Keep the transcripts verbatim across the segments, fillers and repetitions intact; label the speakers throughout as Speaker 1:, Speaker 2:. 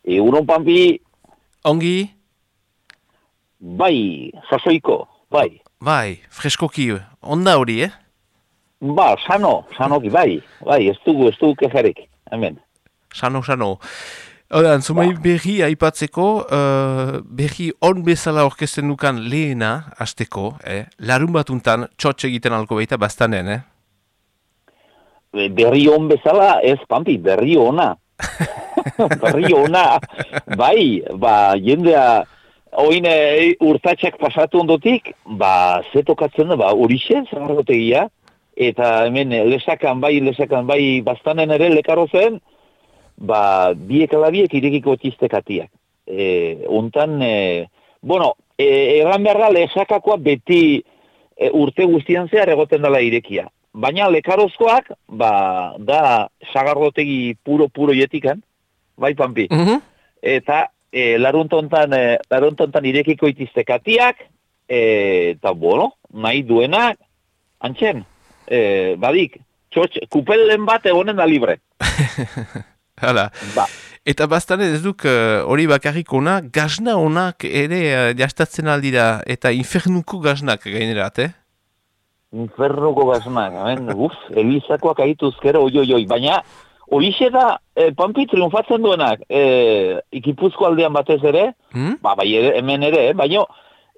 Speaker 1: Egunon, Pampi.
Speaker 2: Ongi?
Speaker 1: Bai, sasoiko, bai.
Speaker 2: Bai, freskoki, onda hori, eh?
Speaker 1: Ba, sano, sanoki, bai. Bai, ez dugu, ez dugu kejarik, hemen.
Speaker 2: Sano, sano. Oda, zumai
Speaker 1: Ba.
Speaker 2: berri aipatzeko, uh, berri on bezala orkesten dukan lehena, hasteko, eh? Larun batuntan, txotx egiten alko baita bastanen, eh?
Speaker 1: Berri on bezala, ez, Pampi, berri ona. Berri ona, bai, ba, jendea, oin e, urtatxak pasatu ondotik, ba, ze tokatzen da, ba, horixe, zagarrotegia, eta hemen lesakan bai, lesakan bai, bastanen ere lekaro zen, ba, biek alabiek irekiko txistekatiak. E, ontan, e, bueno, e, erran behar da, lesakakoa beti e, urte guztian zehar egoten dela irekia. Baina lekarozkoak, ba, da sagarrotegi puro-puro jetikan, bai, Pampi.
Speaker 2: Mm-hmm.
Speaker 1: Eta e, laruntontan, e, laruntontan irekiko itiztekatiak, e, eta, bueno, nahi duenak, antxen, e, badik, txotx, kupelen bat egonen da libre.
Speaker 2: Hala.
Speaker 1: Ba.
Speaker 2: Eta bastanen ez duk hori uh, bakarrik ona, gazna onak ere uh, jastatzen aldira, eta infernuko gaznak gainerat, eh?
Speaker 1: Infernuko gaznak, amen, uf, elizakoak aituzkero, oi, oi, oi, baina horixe da, e, Pampi triunfatzen duenak, e, ikipuzko aldean batez ere,
Speaker 2: hmm?
Speaker 1: ba, bai, ere, hemen ere, eh, baina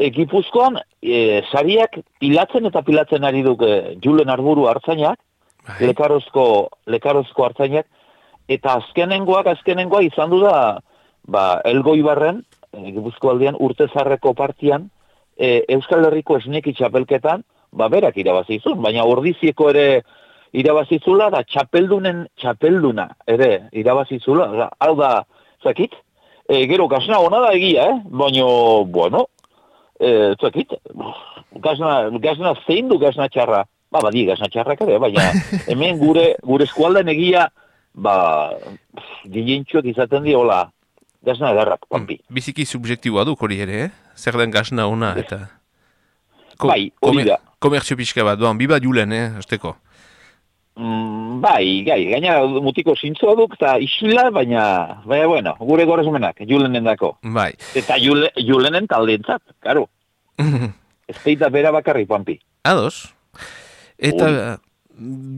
Speaker 1: ikipuzkoan e, sariak pilatzen eta pilatzen ari duk e, Julen Arburu hartzainak, lekarozko, lekarozko hartzainak, eta azkenengoak, azkenengoa izan du da, ba, Elgoibarren, e, Gipuzko aldean, urtezarreko partian, e, Euskal Herriko esneki txapelketan, ba, berak irabazizun, baina ordizieko ere irabazizula, da txapeldunen txapelduna ere irabazizula, da, hau da, zakit, e, gero gazna hona da egia, eh? Baina, bueno, e, zakit, gazna, gazna zein du gazna txarra, ba, badi gazna txarrak ere, baina hemen gure, gure eskualden egia, ba, gilentxuak izaten di, hola, gazna edarrak, Pampi.
Speaker 2: Hmm, biziki subjektiboa duk hori ere, eh? Zer den gazna ona, eta... Ko,
Speaker 1: bai, hori da.
Speaker 2: Komertzio pixka bat, doan, biba Julen, eh, azteko.
Speaker 1: Mm, bai, gai, gaina mutiko zintzoa duk, eta isila, baina, baina, bueno, gure gorazmenak, Julenen dako.
Speaker 2: Bai.
Speaker 1: Eta Jule, Julenen taldeentzat, karo. Ez teita bera bakarri, Pampi.
Speaker 2: Ados. Eta uh,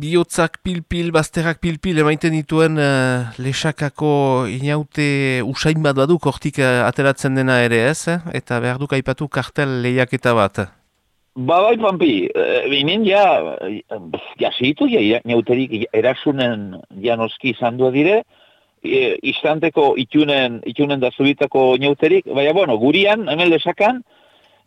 Speaker 2: bihotzak pil-pil, bazterrak pil-pil, emaiten dituen uh, lesakako inaute usain bat baduk, hortik uh, ateratzen dena ere ez, eh? Eta behar duk aipatu kartel lehiaketa bat.
Speaker 1: Ba, bai, Pampi, e, binen ja, ja segitu, ja, neuterik erasunen janoski izan du dire, e, istanteko itunen, itunen da zubitako neuterik, baina, bueno, gurian, hemen lesakan,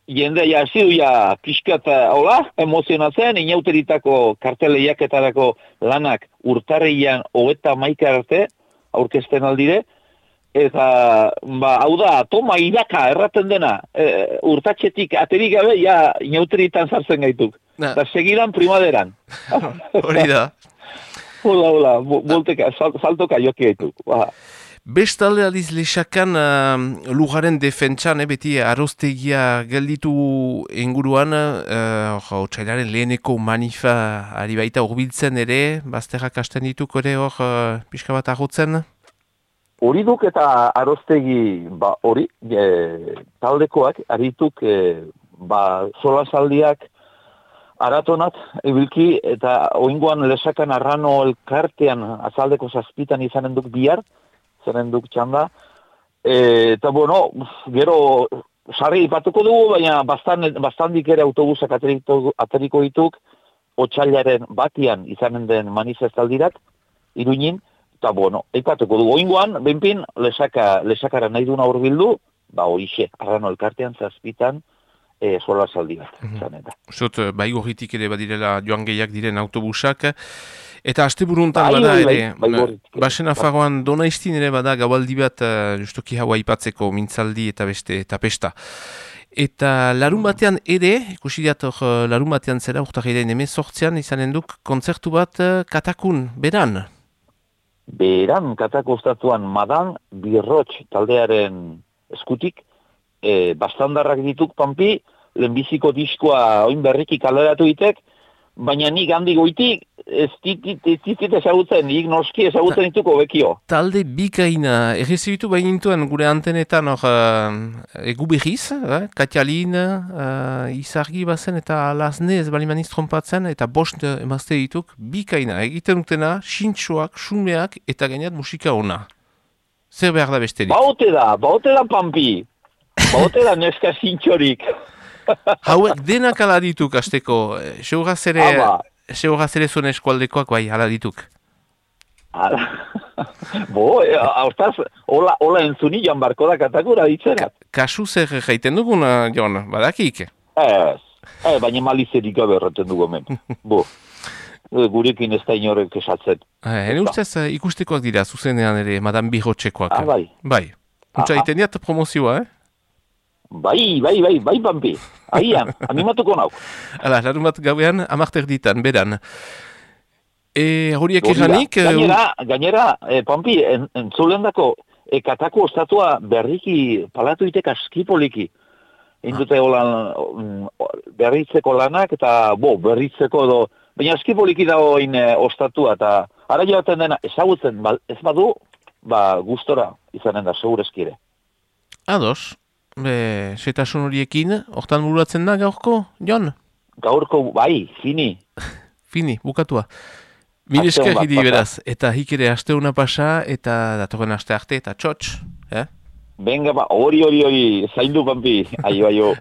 Speaker 1: jende ja zidu ja pixkat, hola, emozionatzen, inauteritako karteleiaketarako lanak urtarrian hogeta maika arte, aurkezten aldire, eta, ba, hau da, toma iraka erraten dena, e, urtatxetik aterik gabe, ja, inauteritan sartzen gaituk.
Speaker 2: Nah.
Speaker 1: Eta segidan primaderan.
Speaker 2: Hori da.
Speaker 1: Hola, hola, bolteka, sal, saltoka joki gaituk. Ba.
Speaker 2: Bestalde aldiz lesakan uh, lujaren defentsan, eh, beti aroztegia gelditu inguruan, uh, jo, txailaren leheneko manifa ari baita urbiltzen ere, bazterrak hasten dituk ere hor uh, pixka bat agotzen?
Speaker 1: Hori duk eta aroztegi, ba, hori, e, taldekoak, arituk, e, ba, solasaldiak aratonat, ebilki, eta oingoan lesakan arrano elkartean azaldeko zazpitan izanen duk bihar, zaren duk txanda, e, eta, bueno, gero, sarri ipatuko dugu, baina bastan, bastandik ere autobusak ateriko, ateriko dituk, otsailaren batian izanen den manifestaldirak, Iruñin, eta, bueno, eipatuko dugu oingoan, benpin, lesaka, lesakara nahi duna urbildu, ba, horixe, arrano elkartean zazpitan, e, sola saldi bat. Mm-hmm.
Speaker 2: Zot, bai gorritik ere badirela joan gehiak diren autobusak, eta asteburuntan
Speaker 1: bai,
Speaker 2: bada
Speaker 1: bai,
Speaker 2: ere,
Speaker 1: bai,
Speaker 2: basen afagoan Donaistin ere bada gabaldi bat, uh, justuki haua aipatzeko mintzaldi eta beste, eta pesta. Eta larun batean ere, ikusi diat hor larun batean zera, urtarriaren emezortzean izanen duk kontzertu bat uh, katakun, beran?
Speaker 1: Beran katako ostatuan Madan Birrotx taldearen eskutik, e, bastandarrak dituk, Pampi, lehenbiziko diskoa oin berriki kaleratu ditek, baina nik handi goitik, ez ditit ezagutzen, nik noski ezagutzen dituko bekio.
Speaker 2: Talde bikaina, errezibitu bainintuen gure antenetan hor uh, egu behiz, eh? Katialin, uh, izargi bazen eta lasne ez balimaniz trompatzen, eta bost emazte dituk, bikaina, egiten dutena, sintxoak, xumeak eta gainat musika ona. Zer behar da besterik?
Speaker 1: Baute da, baute da pampi, baute da neska sintxorik.
Speaker 2: Hauek denak ala dituk azteko, seuraz ere... Seuraz ere zuen eskualdekoak bai, ala dituk.
Speaker 1: Ala, bo, hortaz, hola, hola entzuni joan barko da katakura ditzerat.
Speaker 2: Ka, kasu zer jaiten dugun, Jon, badakik?
Speaker 1: Ez, eh, baina malizerik gabe erraten dugu hemen. Bo, gurekin ez da inorek esatzen.
Speaker 2: Hene ustez ikustekoak dira, zuzenean ere, Madame Birotxekoak.
Speaker 1: Ah, bai.
Speaker 2: Bai, untsa iten diat promozioa, eh?
Speaker 1: Bai, bai, bai, bai, pampi. Ahian, animatuko nauk.
Speaker 2: Hala, larun bat gauean, amarter ditan, beran. E, horiek eranik...
Speaker 1: Gainera, gainera, e, pampi, en, entzulen dako, e, katako ostatua berriki palatu itek askipoliki. Indute holan berritzeko lanak, eta bo, berritzeko do... Baina askipoliki dago in e, ostatua, eta ara joaten dena, ezagutzen, ba, ez badu, ba, gustora izanen da, segurezkire.
Speaker 2: Ados. Be, setasun horiekin, hortan bururatzen da gaurko, Jon?
Speaker 1: Gaurko, bai, fini.
Speaker 2: Fini, bukatua. Mil esker hidi beraz, eta hikere asteuna pasa, eta datorren aste arte, eta txotx, eh?
Speaker 1: Venga, ba, hori, hori, hori, zaindu pampi, aio, aio.